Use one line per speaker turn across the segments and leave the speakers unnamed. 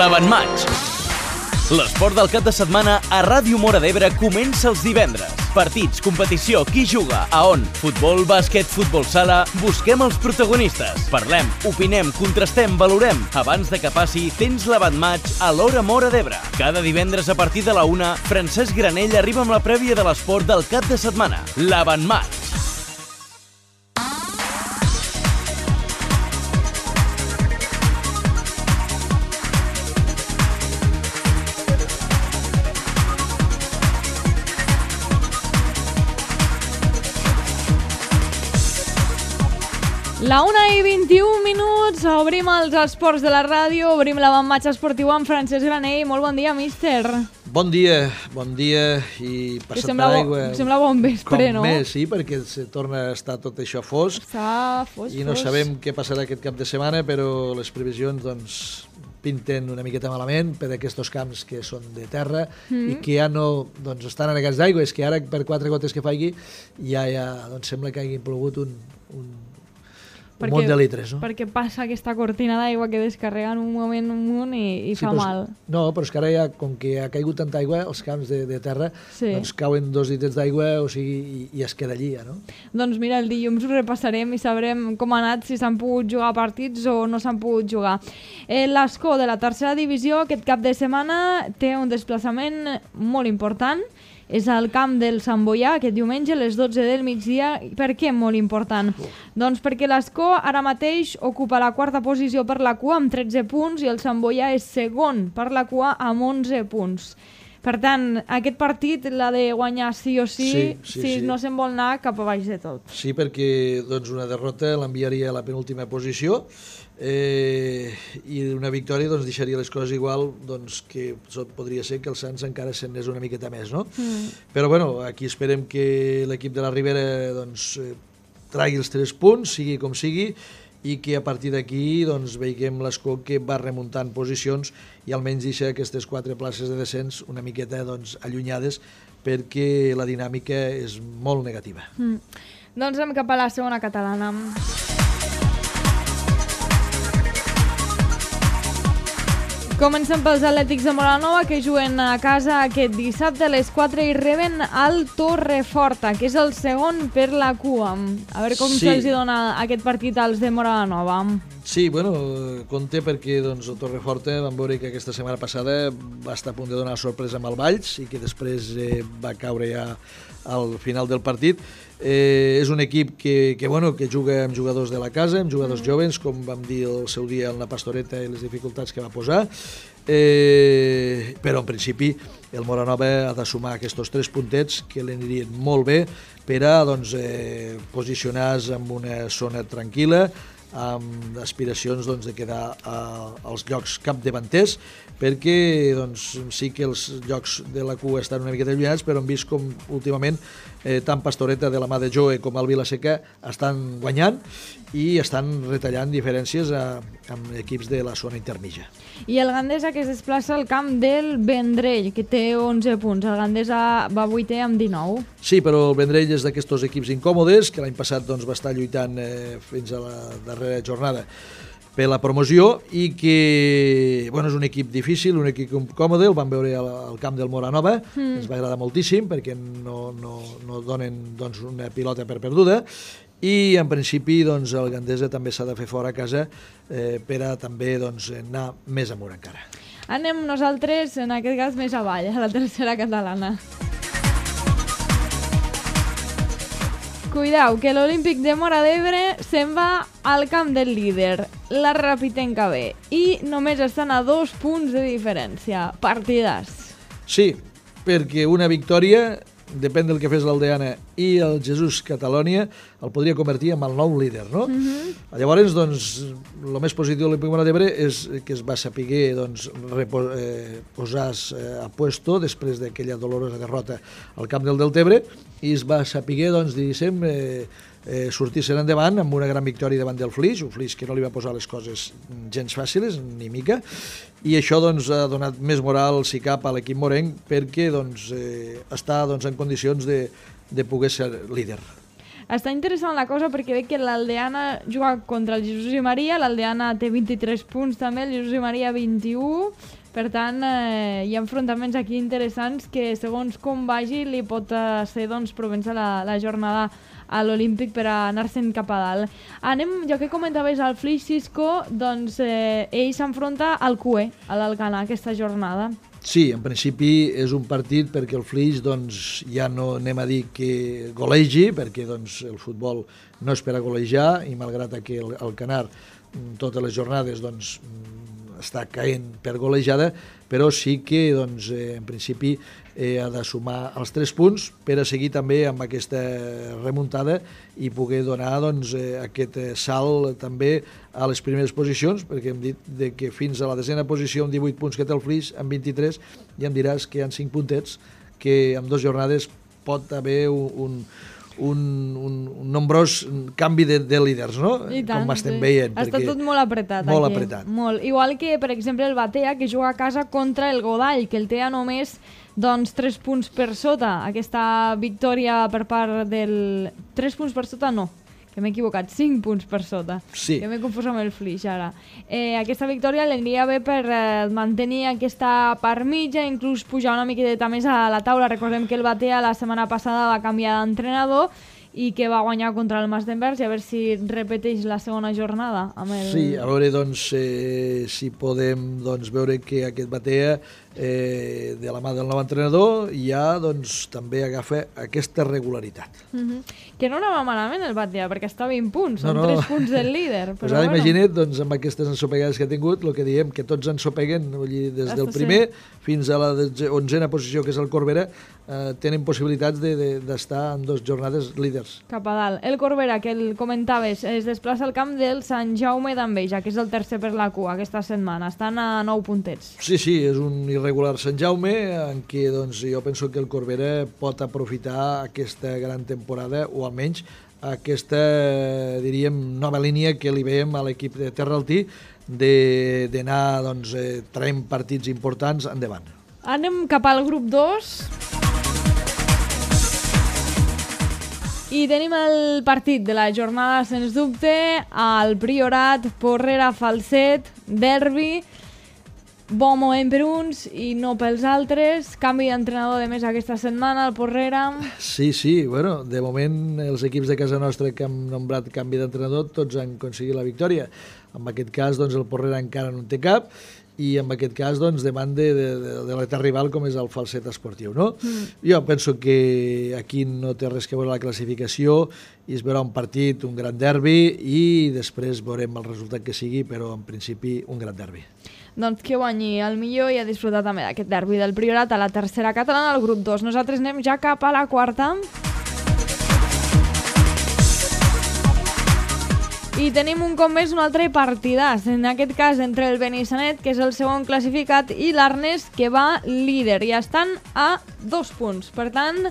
l'Avantmatch. L'esport del cap de setmana a Ràdio Móra d'Ebre comença els divendres. Partits, competició, qui juga, a on? Futbol, bàsquet, futbol sala... Busquem els protagonistes. Parlem, opinem, contrastem, valorem. Abans de que passi, tens l'Avantmatch a l'Hora Móra d'Ebre. Cada divendres a partir de la 1, Francesc Granell arriba amb la prèvia de l'esport del cap de setmana. L'Avantmatch.
La 1:21, obrim els esports de la ràdio, obrim l'Avantmatch esportiu amb Francesc Granell. Molt bon dia, míster.
Bon dia i passat d'aigua.
Sembla bon vespre, no?
Com més, sí, perquè se torna a estar tot això fosc.
Està fosc.
I no sabem què passarà aquest cap de setmana, però les previsions, doncs, pinten una miqueta malament per aquests camps que són de terra i que ja no estan anegats d'aigua. És que ara, per 4 gotes que faigui, ja sembla que hagi plogut un munt de litres, no?
Perquè passa aquesta cortina d'aigua que descarrega en un moment un munt i
sí,
fa mal.
No, però és que ara ja, com que ha caigut tanta aigua, els camps de terra,
sí,
doncs cauen 2 litres d'aigua, o sigui, i es queda allí, ja, no?
Doncs mira, el dilluns ho repassarem i sabrem com ha anat, si s'han pogut jugar partits o no s'han pogut jugar. L'Escó de la tercera divisió aquest cap de setmana té un desplaçament molt important. És al camp del Sant Boià, aquest diumenge a les 12 del migdia. Per què molt important? Doncs perquè l'Escó ara mateix ocupa la 4a posició per la cua amb 13 punts i el Sant Boià és segon per la cua amb 11 punts. Per tant, aquest partit l'ha de guanyar sí o sí, si no se'n vol anar cap a baix de tot.
Sí, perquè una derrota l'enviaria a la penúltima posició i una victòria deixaria les coses igual, que podria ser que el Sants encara se'n anés una miqueta més, no? Però bueno, aquí esperem que l'equip de la Ribera tragui els 3 punts, sigui com sigui, i que a partir d'aquí veiem l'Escó que va remuntant posicions i almenys deixa aquestes 4 places de descens una miqueta allunyades, perquè la dinàmica és molt negativa.
Doncs anem cap a la segona catalana. Comencem pels Atlètics de Móra la Nova, que juguen a casa aquest dissabte a les 4 i reben al Torreforta, que és el segon per la cua. A veure com se'ls dona aquest partit als de Móra la Nova.
Sí, compte perquè el Torreforta vam veure que aquesta setmana passada va estar a punt de donar sorpresa amb el Valls i que després va caure ja al final del partit. És un equip que juga amb jugadors de la casa, amb jugadors joves, com vam dir el seu dia en la Pastoreta i les dificultats que va posar, però en principi el Móra la Nova ha de sumar aquests 3 puntets que li anirien molt bé per a posicionar-se en una zona tranquil·la, amb aspiracions de quedar als llocs capdavanters, perquè sí que els llocs de la cua estan una miqueta allunyats, però hem vist com últimament tant Pastoreta de la mà de Joe com el Vilaseca estan guanyant i estan retallant diferències amb equips de la zona intermitja.
I el Gandesa, que es desplaça al camp del Vendrell, que té 11 punts. El Gandesa va 8è amb 19.
Sí, però el Vendrell és d'aquests equips incòmodes, que l'any passat va estar lluitant fins a la darrera jornada per la promoció i que és un equip difícil, un equip còmode. El vam veure al camp del Móra la Nova, ens va agradar moltíssim perquè no donen una pilota per perduda i en principi el Gandesa també s'ha de fer fora a casa per a també anar més amunt encara.
Anem nosaltres, en aquest cas, més avall, a la tercera catalana. Cuidao, que l'Olímpic de Móra d'Ebre se'n va al camp del líder, la Rapitenca B, i només estan a 2 punts de diferència. Partidàs.
Sí, perquè una victòria, depèn del que fes l'Aldeana i el Jesús Catalònia, el podria convertir en el nou líder, no? Llavors, el més positiu de l'Olímpic Móra d'Ebre és que es va saber posar a puesto després d'aquella dolorosa derrota al camp del Deltebre i es va saber, diguéssim, sortir-se'n endavant amb una gran victòria davant del Flix, un Flix que no li va posar les coses gens fàcils, ni mica, i això ha donat més moral, si cap, a l'equip morenc perquè està en condicions de poder ser líder.
Està interessant la cosa perquè veig que l'Aldeana juga contra el Jesús i Maria, l'Aldeana té 23 punts també, el Jesús i Maria 21, per tant hi ha enfrontaments aquí interessants que segons com vagi li pot ser doncs, provença la jornada a l'Olímpic per anar-se'n cap a dalt. Anem, ja que comentaves el Flix, Cisco, doncs ell s'enfronta al CUE, a l'Alcanar, aquesta jornada.
Sí, en principi és un partit perquè el Flix doncs, ja no anem a dir que golegi, perquè doncs, el futbol no és per a golejar i malgrat que el Canar totes les jornades doncs, està caent per golejada, però sí que doncs, en principi ha de sumar els 3 punts per a seguir també amb aquesta remuntada i poder donar doncs, aquest salt també a les primeres posicions, perquè hem dit que fins a la 10a posició amb 18 punts que té el Flix, amb 23, ja em diràs que hi ha 5 puntets, que en 2 jornades pot haver un nombrós canvi de líders, no?
Tant,
com estem veient.
Està tot molt apretat.
Molt
aquí.
apretat.
Molt. Igual que, per exemple, el Batea, que juga a casa contra el Godall, que el té a només doncs, 3 punts per sota. Aquesta victòria per part del... 3 punts per sota no, que m'he equivocat, 5 punts per sota.
Sí.
Que m'he confós amb el Flix ara. Aquesta victòria l'aniria bé per mantenir aquesta part mitja, inclús pujar una miqueta més a la taula. Recordem que el Batea la setmana passada va canviar d'entrenador i que va guanyar contra el Mas d'Envers i a veure si repeteix la segona jornada amb el...
Sí, a veure doncs, si podem doncs, veure que aquest Batea de la mà del nou entrenador ja doncs, també agafa aquesta regularitat.
Que no anava malament el Batea, perquè està a 20 punts, són 3 punts del líder.
Pues ara imagina't, doncs, amb aquestes ensopegades que ha tingut, el que diem, que tots ensopeguen, vull dir, des del primer fins a la 11a posició, que és el Corbera, tenen possibilitats d'estar en 2 jornades líders.
Cap a dalt. El Corbera, que el comentaves, es desplaça al camp del Sant Jaume d'Enveja, que és el tercer per la cua aquesta setmana. Estan a 9 puntets.
Sí, és un irregular Sant Jaume, en què doncs, jo penso que el Corbera pot aprofitar aquesta gran temporada, o almenys aquesta, diríem, nova línia que li veiem a l'equip de Terraltí, d'anar doncs, traient partits importants endavant.
Anem cap al grup 2. I tenim el partit de la jornada, sens dubte, al Priorat, Porrera, Falset, derbi, bon moment per uns i no pels altres, canvi d'entrenador de més aquesta setmana, el Porrera.
Sí, bueno, de moment els equips de casa nostra que han nombrat canvi d'entrenador tots han aconseguit la victòria. En aquest cas, doncs, el Porrera encara no en té cap, i en aquest cas doncs, davant de l'etern rival com és el Falset Esportiu. No? Jo penso que aquí no té res que veure la classificació i es veurà un partit, un gran derbi i després veurem el resultat que sigui, però en principi un gran derbi.
Doncs que guanyi el millor i a disfrutar també d'aquest derbi del Priorat a la tercera catalana al grup 2. Nosaltres anem ja cap a la quarta. I tenim un cop més un altre partidàs, en aquest cas entre el Benissanet, que és el segon classificat, i l'Arnes, que va líder, i estan a 2 punts. Per tant,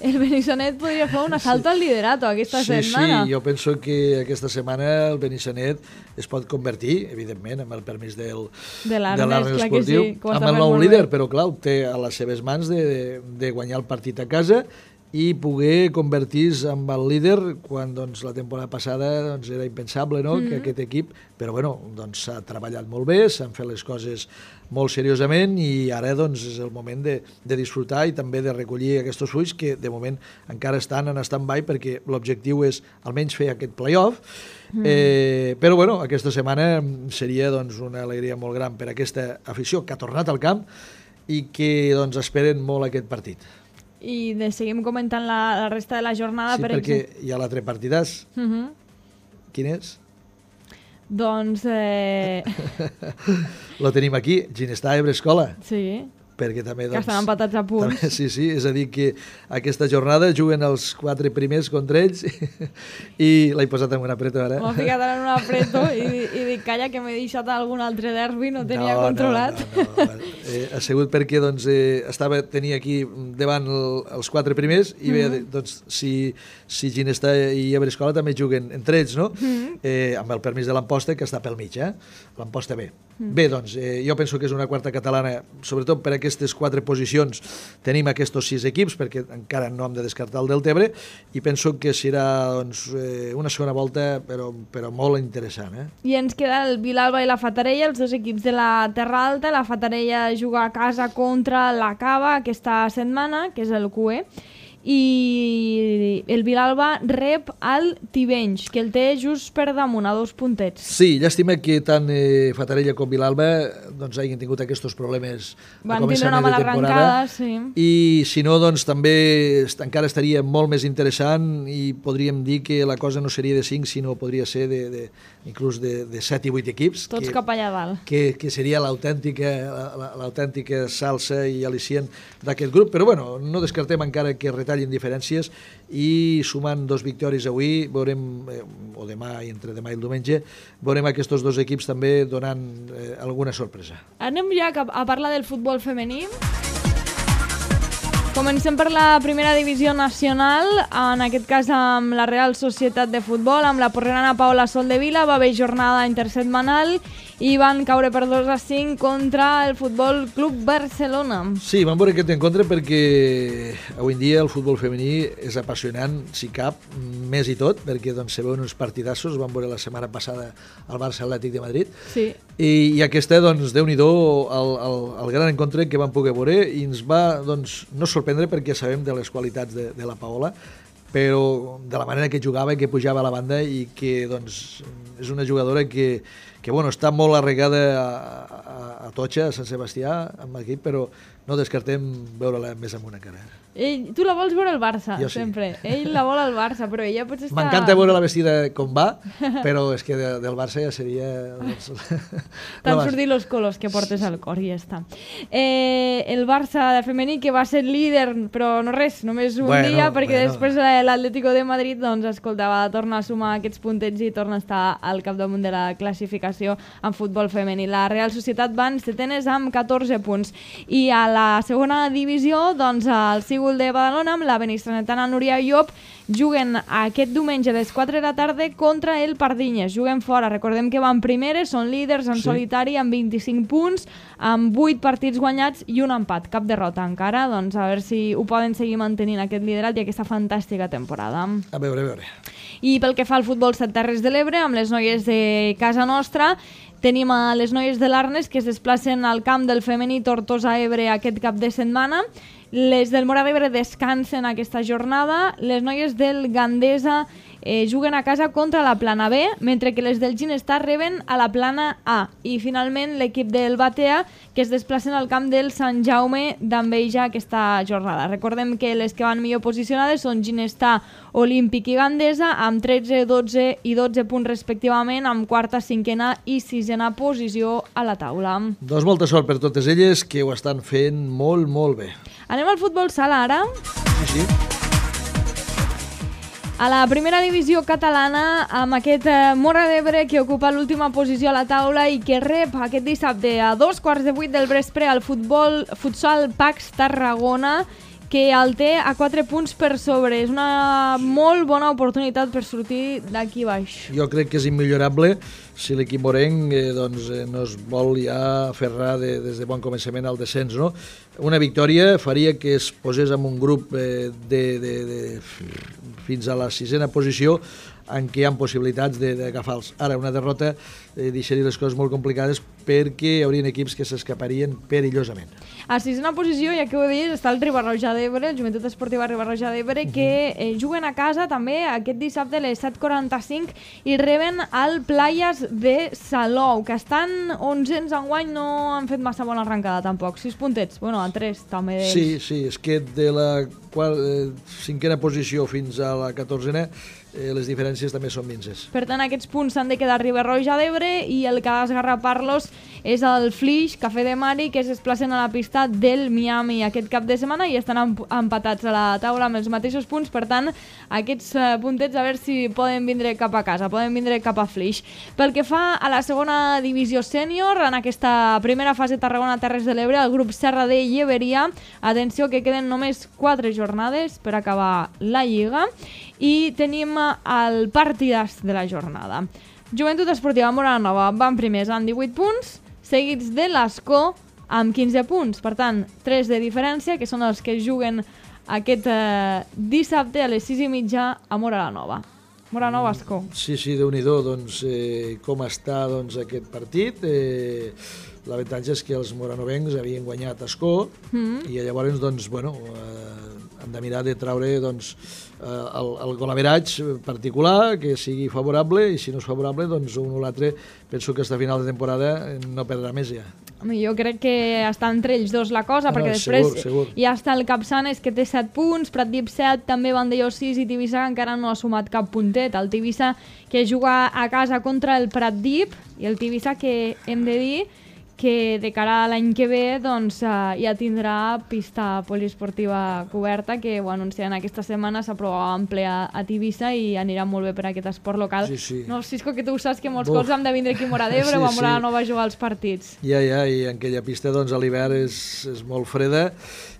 el Benissanet podria fer un assalt al liderato aquesta setmana.
Sí, jo penso que aquesta setmana el Benissanet es pot convertir, evidentment, amb el permís de l'Arnes Esportiu, amb el nou líder, però clar, té a les seves mans de guanyar el partit a casa i poder convertir-se en el líder quan doncs, la temporada passada doncs, era impensable no? Que aquest equip, però bueno, doncs, s'ha treballat molt bé, s'han fet les coses molt seriosament i ara doncs, és el moment de disfrutar i també de recollir aquests fruits que de moment encara estan en stand-by perquè l'objectiu és almenys fer aquest play-off. Però bueno, aquesta setmana seria doncs, una alegria molt gran per a aquesta afició que ha tornat al camp i que doncs, esperen molt aquest partit.
I seguim comentant la resta de la jornada.
Sí, perquè hi ha l'altre partidàs. Quin és?
Doncs...
Lo tenim aquí, Ginestar Ebre Escola.
Sí.
Perquè també, doncs,
que estan empatats a punts.
També, sí, és a dir que aquesta jornada juguen els 4 primers contra ells i l'he posat en un apreto ara.
M'ha ficat en un apreto i dic, calla, que m'he deixat algun altre derbi, no tenia controlat.
No. Ha sigut perquè doncs, tenia aquí davant els 4 primers i bé, doncs, si Ginestar i Ebre Escola també juguen entre ells, no? Amb el permís de l'Amposta, que està pel mig, l'Amposta B. Bé, doncs, jo penso que és una quarta catalana, sobretot per aquest aquestes 4 posicions tenim aquests 6 equips, perquè encara no hem de descartar el Deltebre, i penso que serà doncs, una segona volta però molt interessant.
I ens queda el Vilalba i la Fatarella, els dos equips de la Terra Alta. La Fatarella juga a casa contra la Cava aquesta setmana, que és el QE, i el Vilalba rep al Tivenys, que el té just per damunt, a 2 puntets.
Sí, llàstima que tant Fatarella com Vilalba doncs, hagin tingut aquests problemes a començament de temporada.
Sí.
I si no, doncs també encara estaria molt més interessant i podríem dir que la cosa no seria de 5, sinó podria ser inclús de 7 i 8 equips.
Tots cap allà dalt.
Que seria l'autèntica salsa i al·licient d'aquest grup. Però bueno, no descartem encara que retallin diferències i sumant 2 victòries avui, veurem, o demà i entre demà i el diumenge, veurem aquests 2 equips també donant alguna sorpresa.
Anem ja a parlar del futbol femení. Comencem per la primera divisió nacional, en aquest cas amb la Real Societat de Futbol, amb la porrerana Paola Soldevila. Va haver jornada intersetmanal i van caure per 2-5 contra el Futbol Club Barcelona.
Sí, vam veure aquest encontre perquè avui en dia el futbol femení és apassionant, si cap, més i tot, perquè doncs, se veuen uns partidassos, vam veure la setmana passada al Barça Atlètic de Madrid,
sí.
I aquesta, doncs, Déu-n'hi-do, el gran encontre que vam poder veure i ens va, doncs, no sorprendre perquè sabem de les qualitats de la Paola, però de la manera que jugava i que pujava a la banda i que doncs, és una jugadora que bueno, està molt arregada a Totxa, a Sant Sebastià, amb l'equip, però no descartem veure-la més amunt encara.
Tu la vols veure al Barça,
jo sí.
Sempre. Ell la vol al Barça, però ella potser està...
M'encanta veure la vestida com va, però és que del Barça ja seria...
T'han sortit els colors que portes al cor i ja està. El Barça de femení, que va ser líder, però no res, només un dia, perquè després l'Atlético de Madrid, doncs, escolta, va tornar a sumar aquests puntets i torna a estar al capdamunt de la classificació en futbol femení. La Real Societat van setenes amb 14 punts. I a la segona divisió, doncs, el Sígul de Badalona, amb la benistranetana Núria Llop, juguen aquest diumenge a les 4 de la tarda contra el Pardinyes. Juguen fora, recordem que van primeres, són líders en solitari amb 25 punts, amb 8 partits guanyats i un empat, cap derrota encara, doncs a veure si ho poden seguir mantenint aquest liderat i aquesta fantàstica temporada.
A veure.
I pel que fa al futbol Set Terres de l'Ebre, amb les noies de casa nostra, tenim a les noies de l'Arnes que es desplacen al camp del femení Tortosa-Ebre aquest cap de setmana. Les del Móra d'Ebre descansen aquesta jornada. Les noies del Gandesa juguen a casa contra la Plana B, mentre que les del Ginestar reben a la Plana A. I finalment l'equip del Batea, que es desplacen al camp del Sant Jaume d'Enveja aquesta jornada. Recordem que les que van millor posicionades són Ginestar, Olímpic i Gandesa, amb 13, 12 i 12 punts respectivament, amb quarta, cinquena i sisena posició a la taula.
Doncs molta sort per totes elles, que ho estan fent molt, molt bé.
Anem al futbol sala ara.
Sí.
A la primera divisió catalana, amb aquest Móra d'Ebre que ocupa l'última posició a la taula i que rep aquest dissabte a 7:15 del vespre al futsal Pax Tarragona, que el té a 4 punts per sobre. És una molt bona oportunitat per sortir d'aquí baix.
Jo crec que és immillorable si l'equip morenc no es vol ja aferrar des de bon començament al descens. No? Una victòria faria que es posés en un grup fins a la 6a posició en què hi ha possibilitats d'agafar-los. Ara, una derrota deixaria les coses molt complicades perquè hi haurien equips que s'escaparien perillosament.
A 6a posició, ja que ho he dit, està el Riba-roja d'Ebre, el Joventut Esportiva Riba-roja d'Ebre, que juguen a casa també aquest dissabte a les 7:45 i reben el Playas de Salou, que estan 11ens enguany, no han fet massa bona arrencada tampoc. 6 puntets, bueno, a 3 també d'ells.
Sí, és que de la 5a posició fins a la 14a les diferències també són minses.
Per tant, aquests punts s'han de quedar a Riba-roja d'Ebre i el que ha d'esgarrapar-los és el Flix, Cafè de Mari, que es desplacen a la pista del Miami aquest cap de setmana i estan empatats a la taula amb els mateixos punts. Per tant, aquests puntets a veure si poden vindre cap a casa, poden vindre cap a Flix. Pel que fa a la segona divisió sènior, en aquesta primera fase Tarragona-Terres de l'Ebre, el grup Serra de Lleberia, atenció que queden només 4 jornades per acabar la Lliga, i tenim el partidàs de la jornada. Joventut Esportiva Móra la Nova van primers amb 18 punts, seguits de l'Escó amb 15 punts. Per tant, 3 de diferència, que són els que juguen aquest dissabte a les 6:30 a Móra la Nova. Móra la Nova, Ascó.
Sí, Déu-n'hi-do, doncs, com està doncs, aquest partit. L'avantatge és que els moranovencs havien guanyat a Ascó i llavors doncs, bueno, han de mirar de traure doncs, el golaveratge particular, que sigui favorable, i si no és favorable, doncs un o l'altre penso que fins a final de temporada no perdrà més ja.
Jo crec que està entre ells dos la cosa, perquè després
segur.
ja està el Capçanes, que té 7 punts, Pratdip 7, també Vandellós 6 i Tivissa encara no ha sumat cap puntet. El Tivissa que juga a casa contra el Pratdip, i el Tivissa que hem de dir que de cara a l'any que ve doncs, ja tindrà pista poliesportiva coberta, que ho anuncien aquesta setmana, s'aprovava en ple a Tivissa i anirà molt bé per aquest esport local.
Sí.
No, Cisco, que tu saps que molts cops hem de vindre aquí a Móra d'Ebre o a Móra la Nova a jugar als partits.
Ja, i en aquella pista doncs, a l'hivern és molt freda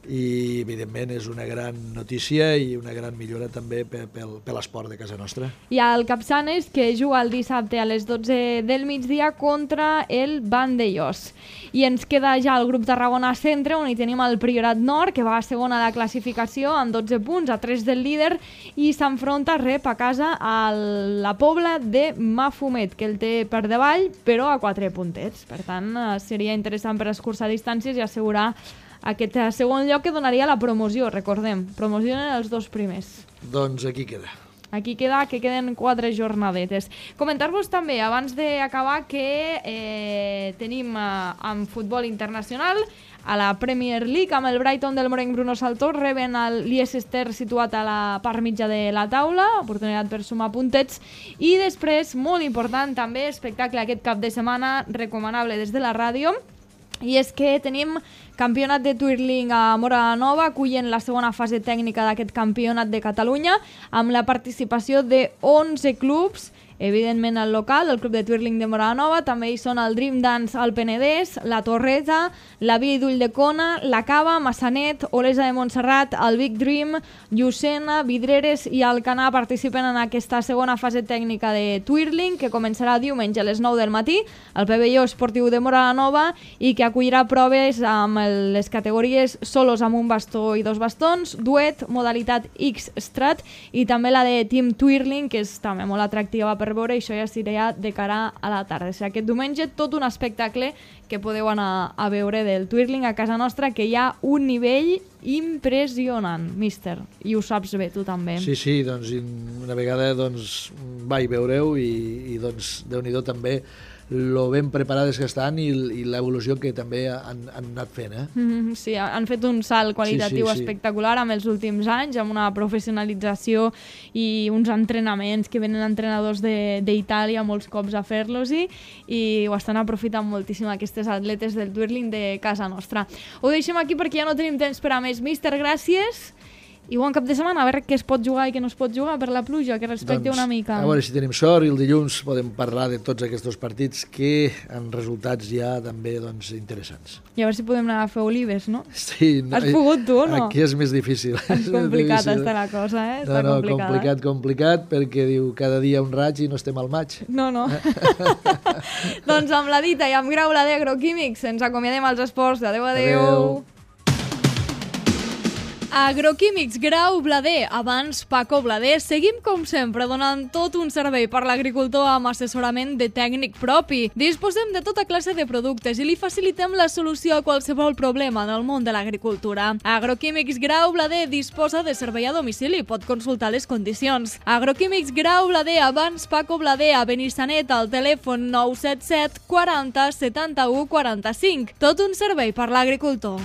i evidentment és una gran notícia i una gran millora també per l'esport de casa nostra.
Hi ha el Capçanes, que juga el dissabte a les 12 del migdia contra el Vandellós. I ens queda ja el grup Tarragona Centre, on hi tenim el Priorat Nord, que va a segona de la classificació amb 12 punts, a 3 del líder, i s'enfronta a casa a la Pobla de Mafumet, que el té per davall, però a 4 puntets. Per tant, seria interessant per escurçar distàncies i assegurar aquest segon lloc que donaria la promoció, recordem. Promocionen els 2 primers.
Doncs aquí queda.
Aquí queda que queden 4 jornadetes. Comentar-vos també, abans d'acabar, que tenim en futbol internacional a la Premier League, amb el Brighton del Morenc Bruno Saltor, reben el Leicester situat a la part mitja de la taula, oportunitat per sumar puntets, i després, molt important també, espectacle aquest cap de setmana, recomanable des de la ràdio, i és que tenim campionat de twirling a Móra la Nova, acullen la segona fase tècnica d'aquest campionat de Catalunya, amb la participació de 11 clubs, evidentment el local, el Club de Twirling de Móra la Nova, també hi són el Dream Dance al Penedès, la Torreta, la Via i Ulldecona, la Cava, Massanet, Olesa de Montserrat, el Big Dream, Llucena, Vidreres i Alcanar participen en aquesta segona fase tècnica de twirling, que començarà diumenge a les 9 del matí, al pavelló esportiu de Móra la Nova, i que acollirà proves amb les categories solos amb un bastó i 2 bastons, duet, modalitat X-Strat, i també la de Team Twirling, que és també molt atractiva per veure, i això ja seria de cara a la tarda. O sigui, aquest diumenge tot un espectacle que podeu anar a veure del twirling a casa nostra, que hi ha un nivell impressionant, míster, i ho saps bé tu també.
Sí, doncs una vegada doncs, vaig veure-ho i doncs Déu-n'hi-do també lo ben preparades que estan i l'evolució que també han anat fent.
Sí, han fet un salt qualitatiu espectacular amb els últims anys, amb una professionalització i uns entrenaments que venen entrenadors d'Itàlia molts cops a fer-los-hi, i ho estan aprofitant moltíssim aquestes atletes del twirling de casa nostra. Ho deixem aquí perquè ja no tenim temps per a més. Míster, gràcies. I bon cap de setmana, a veure què es pot jugar i què no es pot jugar per la pluja, que respecte una mica.
A veure si tenim sort, i el dilluns podem parlar de tots aquests partits que han resultats ja també doncs, interessants.
I a veure si podem anar a fer olives, no?
Sí.
Has pogut tu o no?
Aquí és més difícil.
És complicat està la cosa, Està
complicat, perquè diu cada dia un raig i no estem al maig.
No. Doncs amb la dita i amb Grau la d'Agroquímics ens acomiadem als esports. Adéu. Agroquímics Grau Blader, abans Paco Blader. Seguim, com sempre, donant tot un servei per l'agricultor amb assessorament de tècnic propi. Disposem de tota classe de productes i li facilitem la solució a qualsevol problema en el món de l'agricultura. Agroquímics Grau Blader disposa de servei a domicili, pot consultar les condicions. Agroquímics Grau Blader, abans Paco Blader, a Benissanet, al telèfon 977 40 71 45. Tot un servei per l'agricultor.